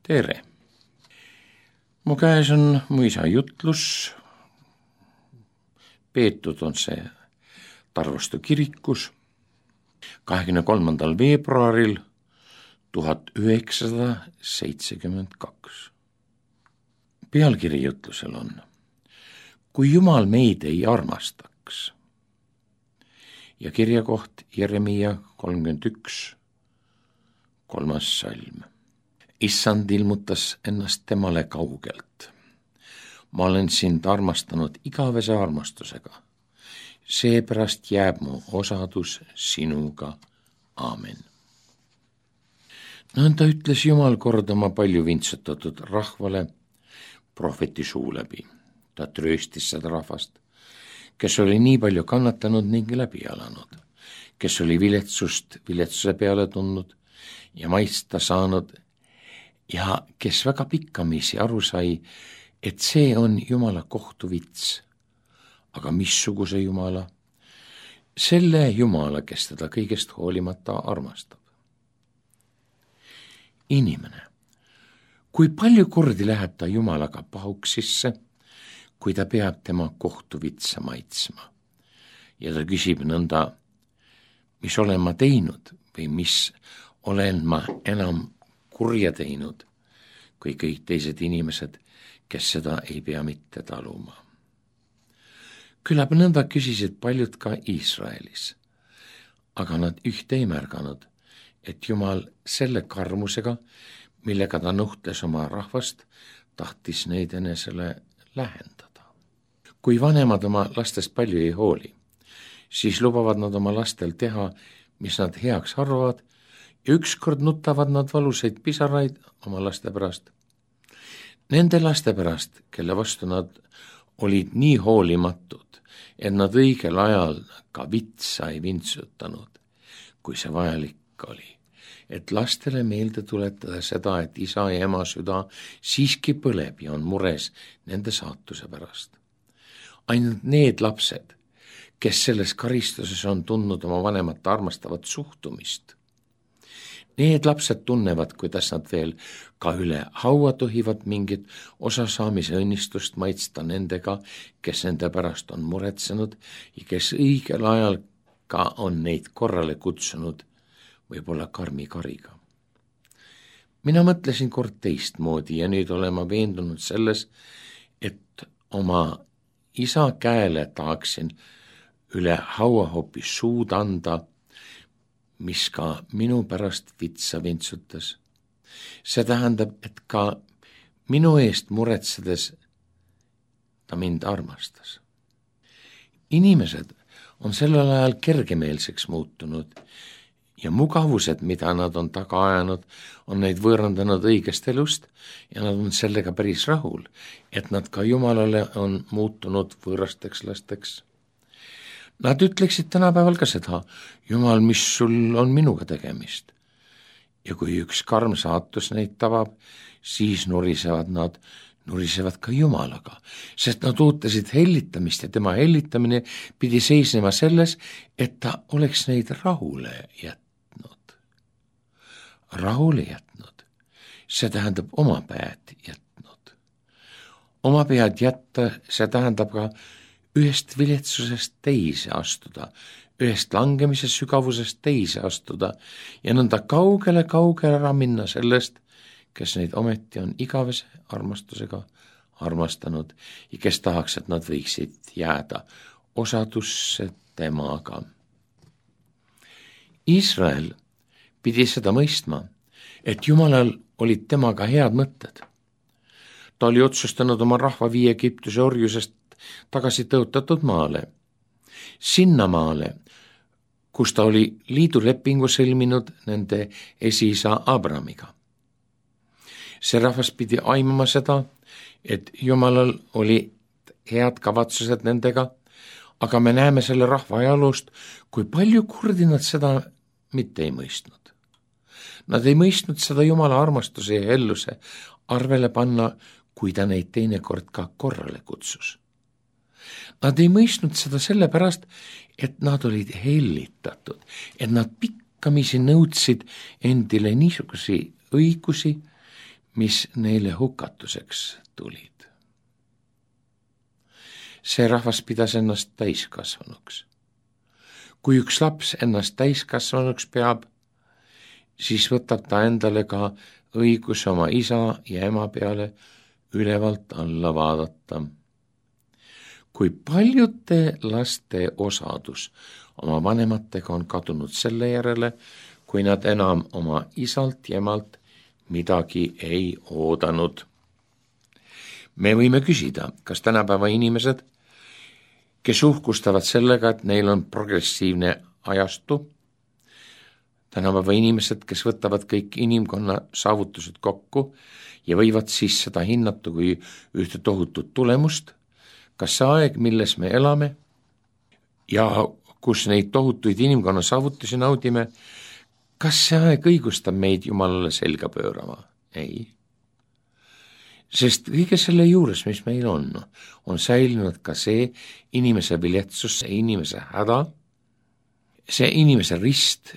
Tere! Mu käes on mu isa jutlus. Peetud on see Tarvastu kirikus 23. veebruaril 1972. Pealkiri jutlusel on: Kui Jumal meid ei armastaks. Ja kirjakoht Jeremia 31, 3. salm. Issand ilmutas ennast temale kaugelt. Ma olen sind armastanud igavese armastusega. Seepärast jääb mu osadus sinuga. Aamen. Nõnda ütles Jumal kord oma palju vintsutatud rahvale prohveti suu läbi. Ta trööstis seda rahvast, kes oli nii palju kannatanud ning läbi elanud, kes oli viletsust viletsuse peale tundnud ja maitsta saanud ja kes väga pikkamisi aru sai, et see on Jumala kohtuvits. Aga missuguse Jumala? Selle Jumala, kes teda kõigest hoolimata armastab. Inimene, kui palju kordi läheb ta Jumalaga pahuksisse, kui ta peab tema kohtuvitsa maitsma. Ja ta küsib nõnda, mis olen ma teinud või mis olen ma enam kurja teinud, kui kõik teised inimesed, kes seda ei pea mitte taluma. Küllap nõnda küsisid paljud ka Iisraelis, aga nad ühte ei märganud, et Jumal selle karmusega, millega ta nuhtles oma rahvast, tahtis neid enesele lähendada. Kui vanemad oma lastest palju ei hooli, siis lubavad nad oma lastel teha, mis nad heaks arvavad, ja ükskord nutavad nad valusaid pisaraid oma laste pärast. Nende laste pärast, kelle vastu nad olid nii hoolimatud, et nad õigel ajal ka vitsa ei vintsutanud, kui see vajalik oli, et lastele meelde tuletada seda, et isa ja ema süda siiski põleb ja on mures nende saatuse pärast. Ainult need lapsed, kes selles karistuses on tundnud oma vanemate armastavat suhtumist, need lapsed tunnevad, kuidas nad veel ka üle haua tohivad mingit osasaamise õnnistust maitsta nendega, kes nende pärast on muretsenud ja kes õigel ajal ka on neid korrale kutsunud, võib-olla karmi kariga. Mina mõtlesin kord teistmoodi ja nüüd olen ma veendunud selles, et oma isa käele tahaksin üle haua hoopis suud anda, mis ka minu pärast vitsa vintsutas. See tähendab, et ka minu eest muretsedes ta mind armastas. Inimesed on sellel ajal kergemeelseks muutunud ja mugavused, mida nad on taga ajanud, on neid võõrandanud õigest elust ja nad on sellega päris rahul, et nad ka Jumalale on muutunud võõrasteks lasteks. Nad ütleksid tänapäeval ka seda, Jumal, mis sul on minuga tegemist. Ja kui üks karm saatus neid tabab, siis nurisevad ka Jumalaga, sest nad ootasid hellitamist ja tema hellitamine pidi seisnema selles, et ta oleks neid rahule jätnud. Rahule jätnud, see tähendab oma pead jätnud. Oma pead jätta, see tähendab ka ühest viletsusest teise astuda, ühest langemise sügavusest teise astuda ja nõnda kaugele ära minna sellest, kes neid ometi on igavese armastusega armastanud ja kes tahaks, et nad võiksid jääda osadusse temaga. Iisrael pidi seda mõistma, et Jumalal olid temaga head mõtted. Ta oli otsustanud oma rahva viia Egiptuse orjusest tagasi tõotatud maale, sinna maale, kus ta oli liidulepingu sõlminud nende esiisa Abramiga. See rahvas pidi aimama seda, et Jumalal oli head kavatsused nendega, aga me näeme selle rahva ajaloost, kui palju kordi nad seda mitte ei mõistnud. Nad ei mõistnud seda Jumala armastuse ja helluse arvele panna, kui ta neid teinekord ka korrale kutsus. Nad ei mõistnud seda sellepärast, et nad olid hellitatud, et nad pikkamisi nõudsid endile niisugusi õigusi, mis neile hukatuseks tulid. See rahvas pidas ennast täiskasvanuks. Kui üks laps ennast täiskasvanuks peab, siis võtab ta endale ka õigus oma isa ja ema peale ülevalt alla vaadata. Kui paljude laste osadus oma vanematega on kadunud selle järele, kui nad enam oma isalt ja emalt midagi ei oodanud. Me võime küsida, kas tänapäeva inimesed, kes uhkustavad sellega, et neil on progressiivne ajastu, tänapäeva inimesed, kes võtavad kõik inimkonna saavutused kokku ja võivad siis seda hinnata kui ühte tohutut tulemust, kas see aeg, milles me elame ja kus neid tohutuid inimkonna saavutusi naudime, kas see aeg õigustab meid Jumalale selga pöörama? Ei. Sest kõige selle juures, mis meil on säilinud ka see inimese viletsus, see inimese häda, see inimese rist,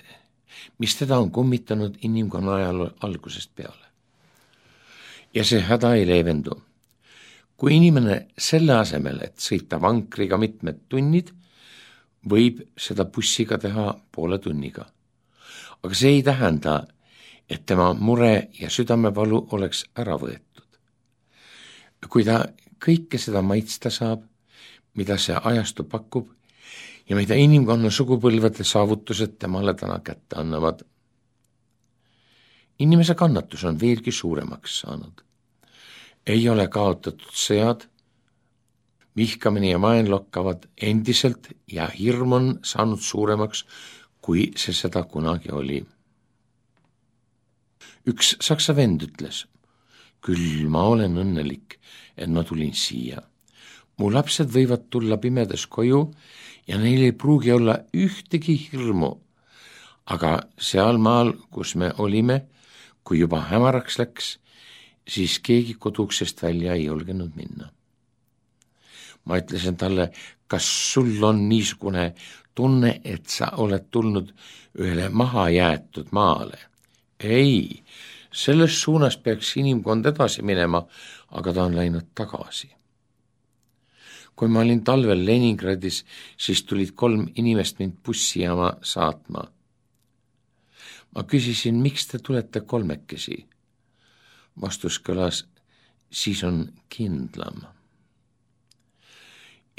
mis teda on kummitanud inimkonna ajal algusest peale. Ja see häda ei leevendu. Kui inimene selle asemel, et sõita vankriga mitmed tunnid, võib seda bussiga teha poole tunniga. Aga see ei tähenda, et tema mure ja südamevalu oleks ära võetud. Kui ta kõike seda maitsta saab, mida see ajastu pakub ja mida inimkonna sugupõlvede saavutused temale täna kätte annavad. Inimese kannatus on veelgi suuremaks saanud. Ei ole kaotatud sõjad, vihkamine ja vaenlokkavad endiselt ja hirm on saanud suuremaks, kui see seda kunagi oli. Üks saksa vend ütles, küll ma olen õnnelik, et ma tulin siia. Mu lapsed võivad tulla pimedas koju ja neil ei pruugi olla ühtegi hirmu, aga seal maal, kus me olime, kui juba hämaraks läks, siis keegi koduksest välja ei julgenud minna. Ma ütlesin talle, kas sul on niisugune tunne, et sa oled tulnud ühele mahajäetud maale? Ei, selles suunas peaks inimkond edasi minema, aga ta on läinud tagasi. Kui ma olin talvel Leningradis, siis tulid 3 inimest mind bussijaama saatma. Ma küsisin, miks te tulete 3? Vastus kõlas, siis on kindlam.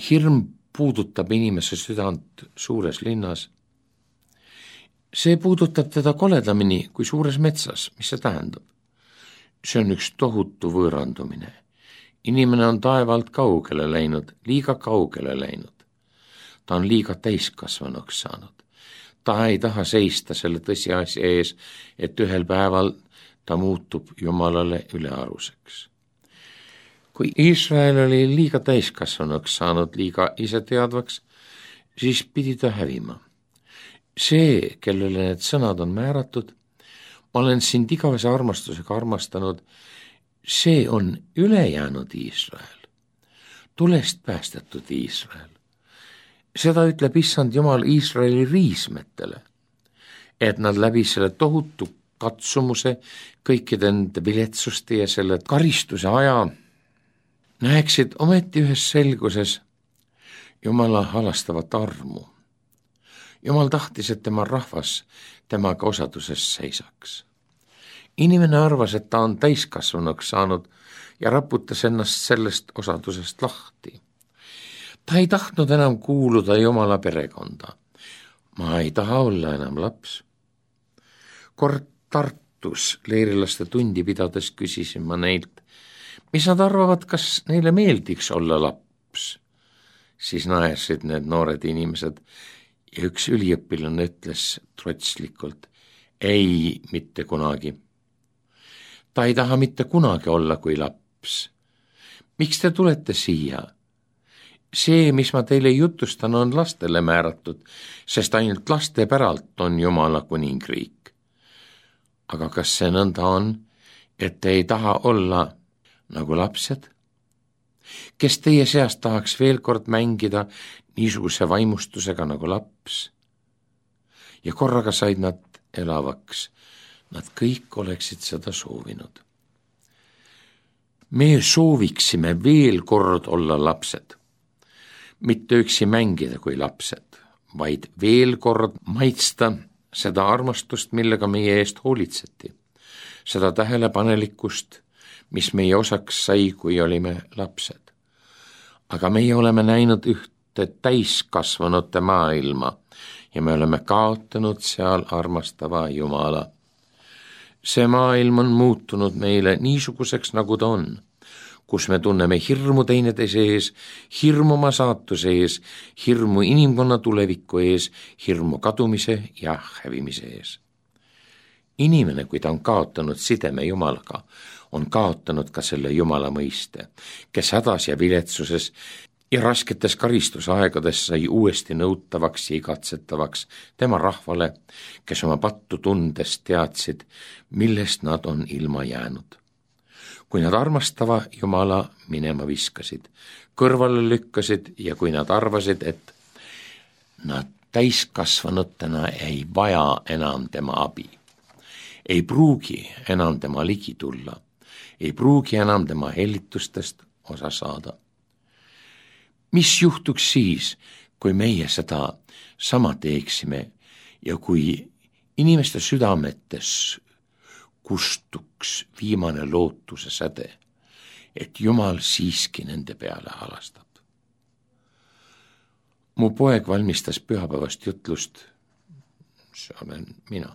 Hirm puudutab inimese südant suures linnas. See puudutab teda koledamini kui suures metsas. Mis see tähendab? See on üks tohutu võõrandumine. Inimene on taevalt kaugele läinud, liiga kaugele läinud. Ta on liiga täiskasvanuks saanud. Ta ei taha seista selle tõsiasja ees, et ühel päeval ta muutub Jumalale ülearuseks. Kui Iisrael oli liiga täiskasvanuks saanud, liiga iseteadvaks, siis pidi ta hävima. See, kellele need sõnad on määratud, ma olen sind igavese armastusega armastanud, see on ülejäänud Iisrael, tulest päästetud Iisrael. Seda ütleb issand Jumal Iisraeli riismetele, et nad läbi selle tohutu katsumuse, kõikide nende viletsuste ja selle karistuse aja näeksid ometi ühes selguses Jumala halastavat armu. Jumal tahtis, et tema rahvas temaga osaduses seisaks. Inimene arvas, et ta on täiskasvanuks saanud ja raputas ennast sellest osadusest lahti. Ta ei tahtnud enam kuuluda Jumala perekonda. Ma ei taha olla enam laps. Kord Tartus leerilaste tundi pidades küsisin ma neilt, mis nad arvavad, kas neile meeldiks olla laps. Siis naersid need noored inimesed ja üks üliõpilane ütles trotslikult, ei, mitte kunagi. Ta ei taha mitte kunagi olla kui laps. Miks te tulete siia? See, mis ma teile jutustan, on lastele määratud, sest ainult laste päralt on Jumala kuningriik. Aga kas see nõnda on, et te ei taha olla nagu lapsed? Kes teie seast tahaks veel kord mängida niisuguse vaimustusega nagu laps? Ja korraga said nad elavaks. Nad kõik oleksid seda soovinud. Me sooviksime veel kord olla lapsed, mitte üksi mängida kui lapsed, vaid veel kord maitsta seda armastust, millega meie eest hoolitseti, seda tähelepanelikkust, mis meie osaks sai, kui olime lapsed. Aga meie oleme näinud ühte täiskasvanute maailma ja me oleme kaotanud seal armastava Jumala. See maailm on muutunud meile niisuguseks, nagu ta on, kus me tunneme hirmu teineteise ees, hirmu oma saatuse ees, hirmu inimkonna tuleviku ees, hirmu kadumise ja hävimise ees. Inimene, kui ta on kaotanud sideme Jumalaga, on kaotanud ka selle Jumala mõiste, kes hädas ja viletsuses ja rasketes karistusaegades sai uuesti nõutavaks ja igatsetavaks tema rahvale, kes oma pattu tundes teadsid, millest nad on ilma jäänud. Kui nad armastava Jumala minema viskasid, kõrvale lükkasid ja kui nad arvasid, et nad täiskasvanutena ei vaja enam tema abi, ei pruugi enam tema ligi tulla, ei pruugi enam tema hellitustest osa saada. Mis juhtuks siis, kui meie seda sama teeksime ja kui inimeste südametes kustuks viimane lootuse säde, et Jumal siiski nende peale halastab? Mu poeg valmistas pühapäevast jutlust, see olen mina.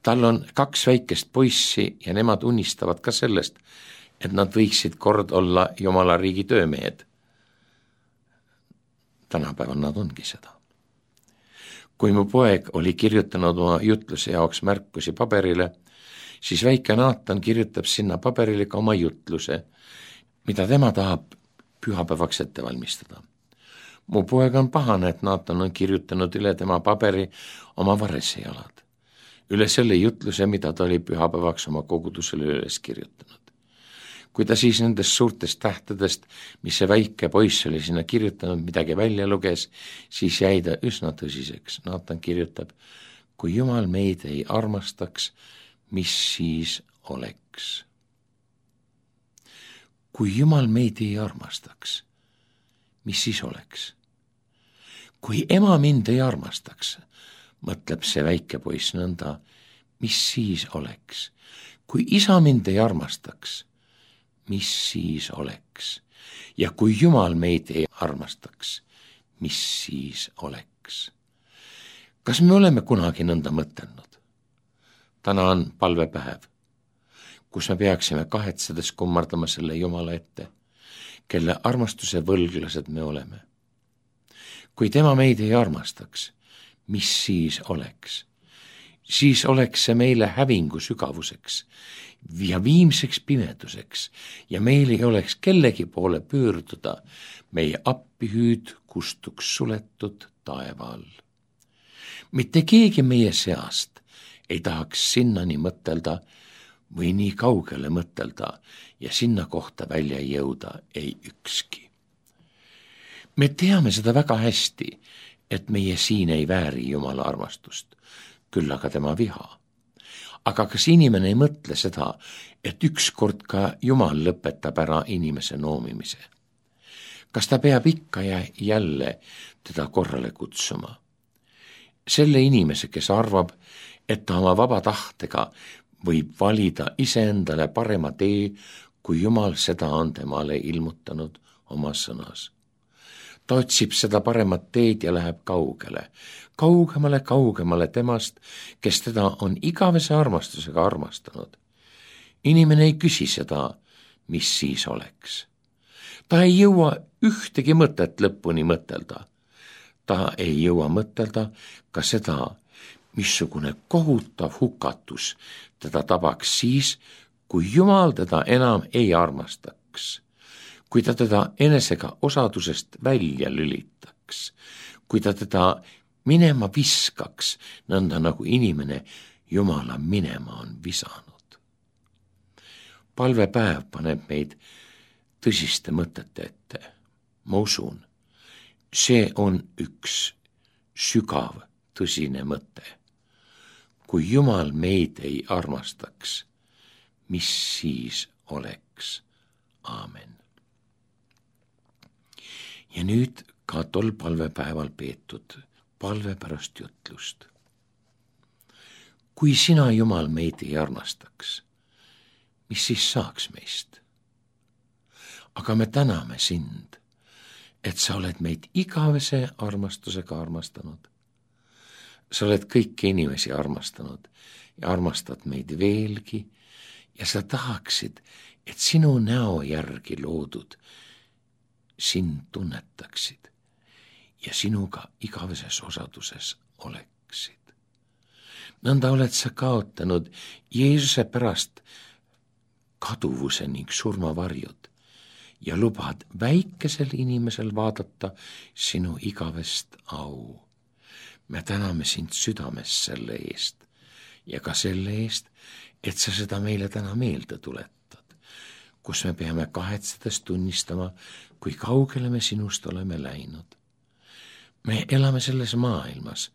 Tal on 2 väikest poissi ja nemad unistavad ka sellest, et nad võiksid kord olla Jumala riigi töömehed. Tänapäeval nad ongi seda. Kui mu poeg oli kirjutanud oma jutluse jaoks märkusi paberile, siis väike Naatan kirjutab sinna paberile ka oma jutluse, mida tema tahab pühapäevaks ette valmistada. Mu poeg on pahane, et Naatan on kirjutanud üle tema paberi oma varresejalad, üle selle jutluse, mida ta oli pühapäevaks oma kogudusele üles kirjutanud. Kui ta siis nendest suurtest tähtedest, mis see väike poiss oli sinna kirjutanud, midagi välja luges, siis jäi ta üsna tõsiseks. Naatan kirjutab, kui Jumal meid ei armastaks, mis siis oleks? Kui Jumal meid ei armastaks, mis siis oleks? Kui ema mind ei armastaks, mõtleb see väike poiss nõnda, mis siis oleks? Kui isa mind ei armastaks, mis siis oleks? Ja kui Jumal meid ei armastaks, mis siis oleks? Kas me oleme kunagi nõnda mõtelnud? Täna on palvepäev, kus me peaksime kahetsedes kummardama selle Jumala ette, kelle armastuse võlglased me oleme. Kui tema meid ei armastaks, mis siis oleks? Siis oleks see meile hävingu sügavuseks ja viimseks pimeduseks ja meil ei oleks kellegi poole pöörduda, meie appihüüd kustuks suletud taeva all. Mitte keegi meie seast ei tahaks sinnani mõtelda või nii kaugele mõtelda ja sinna kohta välja jõuda ei ükski. Me teame seda väga hästi, et meie siin ei vääri Jumala armastust, küll aga tema viha. Aga kas inimene ei mõtle seda, et ükskord ka Jumal lõpetab ära inimese noomimise? Kas ta peab ikka ja jälle teda korrale kutsuma? Selle inimese, kes arvab, et ta oma vaba tahtega võib valida iseendale parema tee, kui Jumal seda on temale ilmutanud oma sõnas. Ta otsib seda paremat teed ja läheb kaugemale temast, kes teda on igavese armastusega armastanud. Inimene ei küsi seda, mis siis oleks. Ta ei jõua ühtegi mõtet lõpuni mõtelda. Ta ei jõua mõtelda ka seda, missugune kohutav hukatus teda tabaks siis, kui Jumal teda enam ei armastaks. Kui ta teda enesega osadusest välja lülitaks, kui ta teda minema viskaks, nõnda nagu inimene Jumala minema on visanud. Palvepäev paneb meid tõsiste mõtete ette. Ma usun, see on üks sügav, tõsine mõte. Kui Jumal meid ei armastaks, mis siis oleks? saaks. Aamen. Ja nüüd ka tol palvepäeval peetud palve pärast jutlust. Kui sina, Jumal, meid ei armastaks, mis siis saaks meist? Aga me täname sind, et sa oled meid igavese armastusega armastanud. Sa oled kõiki inimesi armastanud ja armastad meid veelgi ja sa tahaksid, et sinu näo järgi loodud sind tunnetaksid ja sinuga igaveses osaduses oleksid. Nõnda oled sa kaotanud Jeesuse pärast kaduvuse ning surmavarjud ja lubad väikesel inimesel vaadata sinu igavest au. Me täname sind südames selle eest ja ka selle eest, et sa seda meile täna meelde tuletad, kus me peame kahetsedes tunnistama, kui kaugele me sinust oleme läinud. Me elame selles maailmas,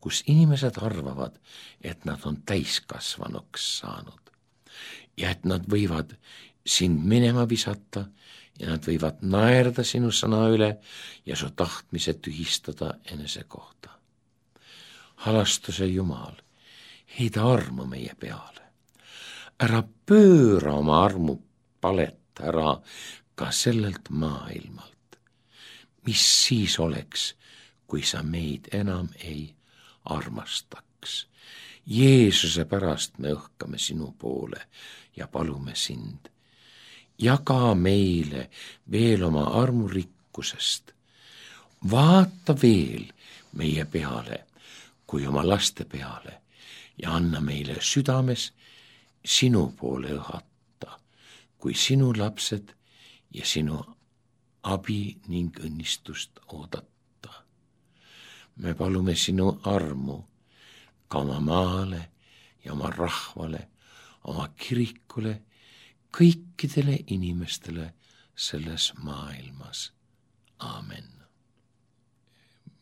kus inimesed arvavad, et nad on täiskasvanuks saanud ja et nad võivad sind minema visata ja nad võivad naerda sinu sõna üle ja su tahtmise tühistada enese kohta. Halastuse Jumal, heida armu meie peale. Ära pööra oma armu palet ära ka sellelt maailmalt. Mis siis oleks, kui sa meid enam ei armastaks? Jeesuse pärast me õhkame sinu poole ja palume sind. Jaga meile veel oma armurikkusest. Vaata veel meie peale kui oma laste peale ja anna meile südames sinu poole õhata, kui sinu lapsed ja sinu abi ning õnnistust oodata. Me palume sinu armu ka oma maale ja oma rahvale, oma kirikule, kõikidele inimestele selles maailmas. Aamen.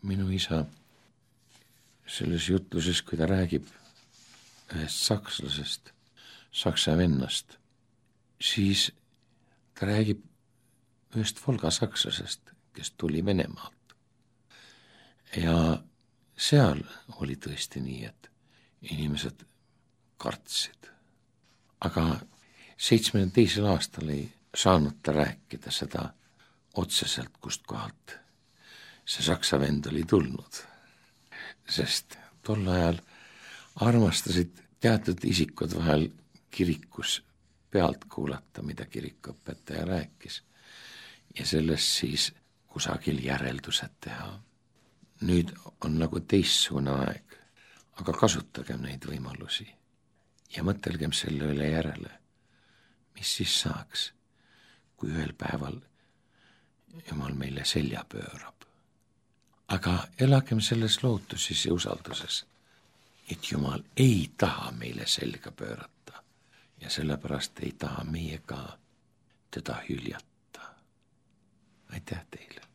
Minu isa selles jutluses, kui ta räägib ühest sakslasest, saksa vennast, siis ta räägib ühest volgasakslasest, kes tuli Venemaalt. Ja seal oli tõesti nii, et inimesed kartsid. Aga 72. aastal ei saanud ta rääkida seda otseselt, kust kohalt see saksa vend oli tulnud. Sest tol ajal armastasid teatud isikud vahel kirikus pealt kuulata, mida kirikuõpetaja rääkis ja sellest siis kusagil järeldused teha. Nüüd on nagu teistsugune aeg, aga kasutagem neid võimalusi ja mõtelgem selle üle järele, mis siis saaks, kui ühel päeval Jumal meile selja pöörab. Aga elagem selles lootuses ja usalduses, et Jumal ei taha meile selga pöörata ja sellepärast ei taha meie ka teda hüljata. Aitäh teile!